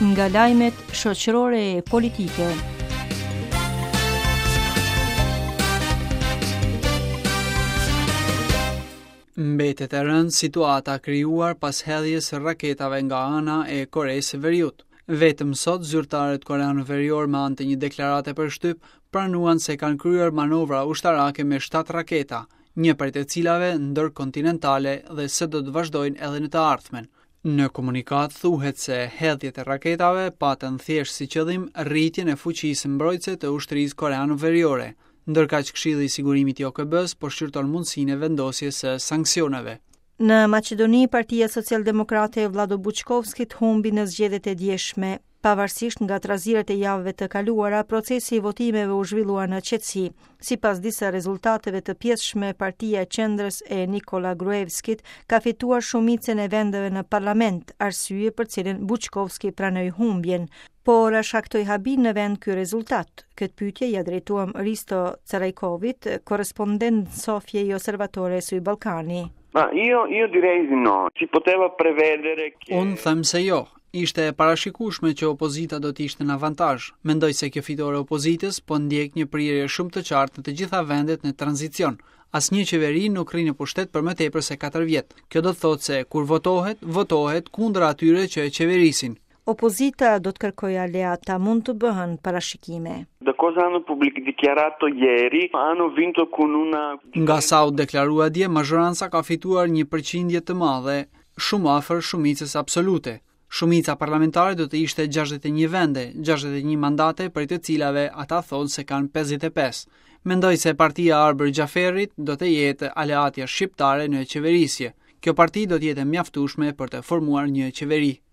Nga lajmet shoqërore e politike. Mbetet e rëndë situata e krijuar pas hedhjes së raketave nga ana e Koresë së Veriut. Vetëm sot zyrtarët koreano-veriorë me anë të një deklarate për shtyp pranuan se kanë kryer manovra ushtarake me 7 raketa, një prej të cilave ndërkontinentale dhe se do të vazhdojnë edhe në të ardhmen. Në komunikatë thuhet se hedhjet e raketave patën thjesht si qëllim rritjen e fuqisë mbrojtëse të ushtrisë koreano-veriore, ndërkaq Këshilli i Sigurimit i OKB-së po shqyrton mundësinë e vendosjes së sanksioneve. Në Maqedoni, Partia Socialdemokrate e Vllado Buçkovskit humbi në zgjedhjet e djeshme. Pavarësisht nga trazirat e javëve të kaluara, procesi i votimeve u zhvillua në qetësi. Sipas disa rezultateve të pjesshme, partia e qendrës e Nikola Gruevskit ka fituar shumicën e vendeve në parlament, arsye për cilën Buçkovski pranoi humbjen. Por a shkaktoi habi në vend ky rezultat? Këtë pyetje ia drejtuam Risto Carajkovit, korrespondent në Sofje i Osservatore su Balcani. Ma io, io direi di no. Si poteva prevedere che... Unë them se jo. Ishte e parashikueshme që opozita do të ishte në avantazh. Mendoj se kjo fitore e opozitës po ndjek një prirje shumë të qartë në të gjitha vendet në tranzicion. Asnjë qeveri nuk rri në pushtet për më tepër se 4 vjet. Kjo do të thotë se kur votohet, votohet kundër atyre që e qeverisin. Opozita do të kërkojë aleatë, a mund të bëhen parashikime. Da cosa hanno pubblic dichiarato ieri, hanno vinto con una Nga sa u deklarua dje, mazhoranca ka fituar një përqindje të madhe, shumë afër shumicës absolute. Shumica parlamentare do të ishte 61 vende, 61 mandate prej të cilave ata thonë se kanë 55. Mendoj se partia e Arbër Xhaferrit do të jetë aleatja shqiptare në qeverisje. Kjo parti do të jetë e mjaftueshme për të formuar një qeveri.